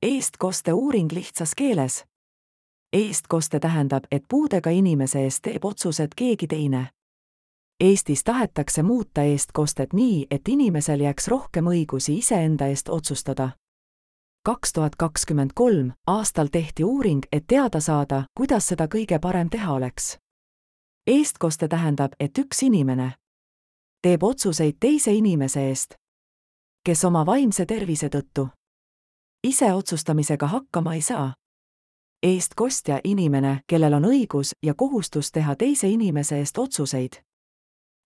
Eestkoste uuring lihtsas keeles. Eestkoste tähendab, et puudega inimese eest teeb otsused keegi teine. Eestis tahetakse muuta eestkostet nii, et inimesel jääks rohkem õigusi iseenda eest otsustada. 2023. aastal tehti uuring, et teada saada, kuidas seda kõige parem teha oleks. Eestkoste tähendab, et üks inimene teeb otsuseid teise inimese eest, kes oma vaimse tervise tõttu ise otsustamisega hakkama ei saa. Eestkostja inimene, kellel on õigus ja kohustus teha teise inimese eest otsuseid.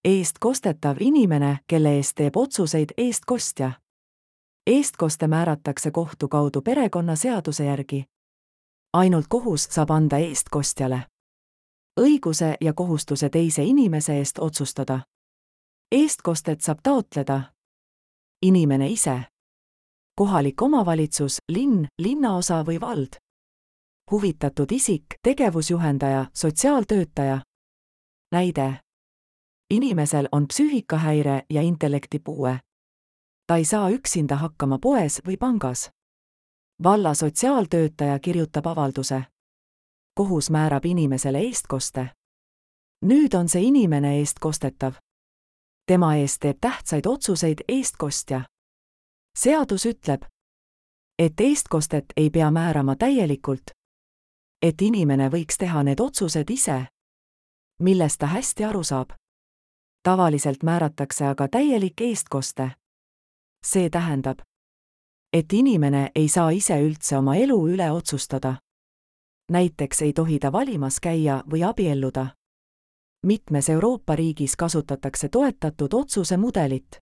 Eestkostetav inimene, kelle eest teeb otsuseid eestkostja. Eestkoste määratakse kohtu kaudu perekonnaseaduse järgi. Ainult kohus saab anda eestkostjale õiguse ja kohustuse teise inimese eest otsustada. Eestkostet saab taotleda inimene ise, kohalik omavalitsus, linn, linnaosa või vald, huvitatud isik, tegevusjuhendaja, sotsiaaltöötaja. Näide. Inimesel on psüühikahäire ja intellektipuue. Ta ei saa üksinda hakkama poes või pangas. Valla sotsiaaltöötaja kirjutab avalduse. Kohus määrab inimesele eestkoste. Nüüd on see inimene eestkostetav. Tema eest teeb tähtsaid otsuseid eestkostja. Seadus ütleb, et eestkostet ei pea määrama täielikult, et inimene võiks teha need otsused ise, millest ta hästi aru saab. Tavaliselt määratakse aga täielik eestkoste. See tähendab, et inimene ei saa ise üldse oma elu üle otsustada. Näiteks ei tohi ta valimas käia või abielluda. Mitmes Euroopa riigis kasutatakse toetatud otsuse mudelit,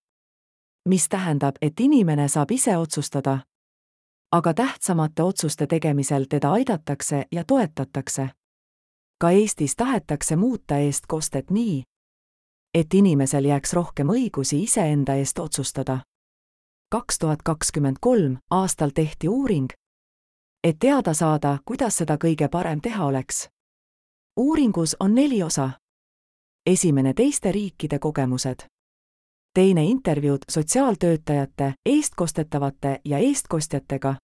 mis tähendab, et inimene saab ise otsustada, aga tähtsamate otsuste tegemisel teda aidatakse ja toetatakse. Ka Eestis tahetakse muuta eestkostet nii, et inimesel jääks rohkem õigusi iseenda eest otsustada. 2023. aastal tehti uuring, et teada saada, kuidas seda kõige parem teha oleks. Uuringus on 4 osa. Esimene teiste riikide kogemused. Teine intervjuud sotsiaaltöötajate, eestkostetavate ja eestkostjatega.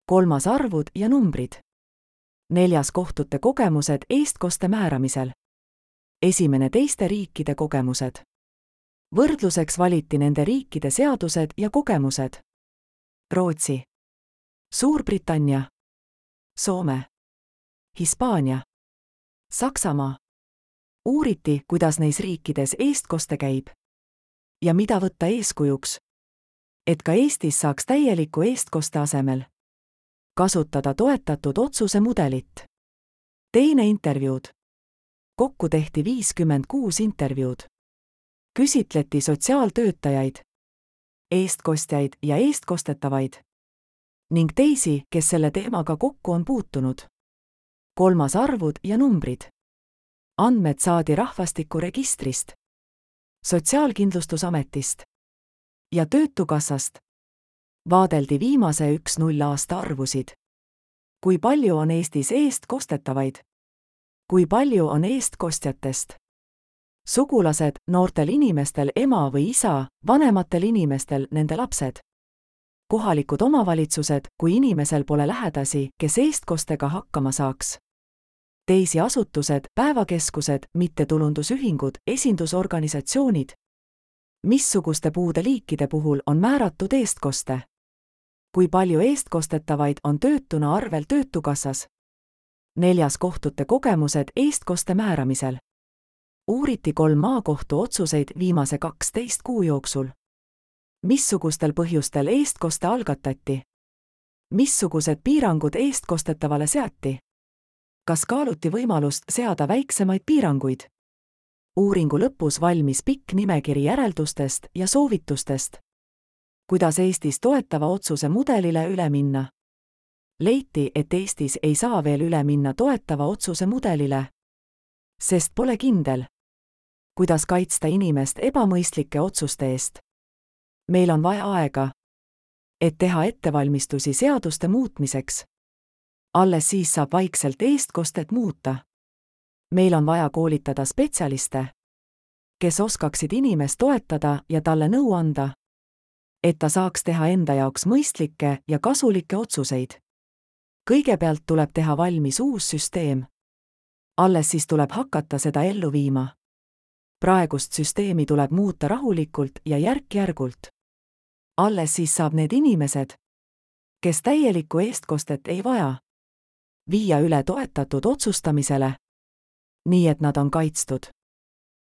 3. arvud ja numbrid. 4. kohtute kogemused eestkoste määramisel. Esimene teiste riikide kogemused. Võrdluseks valiti nende riikide seadused ja kogemused. Rootsi, Suurbritannia, Soome, Hispaania, Saksamaa. Uuriti, kuidas neis riikides eestkoste käib ja mida võtta eeskujuks, et ka Eestis saaks täieliku eestkoste asemel kasutada toetatud otsuse mudelit. Teine intervjuud. Kokku tehti 56 intervjuud. Küsitleti sotsiaaltöötajaid, eestkostjaid ja eestkostetavaid ning teisi, kes selle teemaga kokku on puutunud. 3. arvud ja numbrid. Andmed saadi rahvastikuregistrist, Sotsiaalkindlustusametist ja Töötukassast. Vaadeldi viimase 1-0 aasta arvusid. Kui palju on Eestis eestkostetavaid? Kui palju on eestkostjatest? Sugulased, noortel inimestel ema või isa, vanematel inimestel nende lapsed. Kohalikud omavalitsused, kui inimesel pole lähedasi, kes eestkostega hakkama saaks. Teisi asutused, päevakeskused, mittetulundusühingud, esindusorganisatsioonid. Missuguste puude liikide puhul on määratud eestkoste? Kui palju eestkostetavaid on töötuna arvel Töötukassas? 4. kohtute kogemused eestkoste määramisel. Uuriti 3 maakohtu otsuseid viimase 12 kuu jooksul. Missugustel põhjustel eestkoste algatati? Missugused piirangud eestkostetavale seati? Kas kaaluti võimalust seada väiksemaid piiranguid? Uuringu lõpus valmis pikk nimekiri järeldustest ja soovitustest. Kuidas Eestis toetava otsuse mudelile üle minna? Leiti, et Eestis ei saa veel üle minna toetava otsuse mudelile, sest pole kindel, kuidas kaitsta inimest ebamõistlike otsuste eest. Meil on vaja aega, et teha ettevalmistusi seaduste muutmiseks. Alles siis saab vaikselt eestkostet muuta. Meil on vaja koolitada spetsialiste, kes oskaksid inimest toetada ja talle nõu anda. et ta saaks teha enda jaoks mõistlikke ja kasulikke otsuseid. Kõigepealt tuleb teha valmis uus süsteem. Alles siis tuleb hakata seda ellu viima. Praegust süsteemi tuleb muuta rahulikult ja järk-järgult. Alles siis saab need inimesed, kes täielikku eestkostet ei vaja, viia üle toetatud otsustamisele, nii et nad on kaitstud.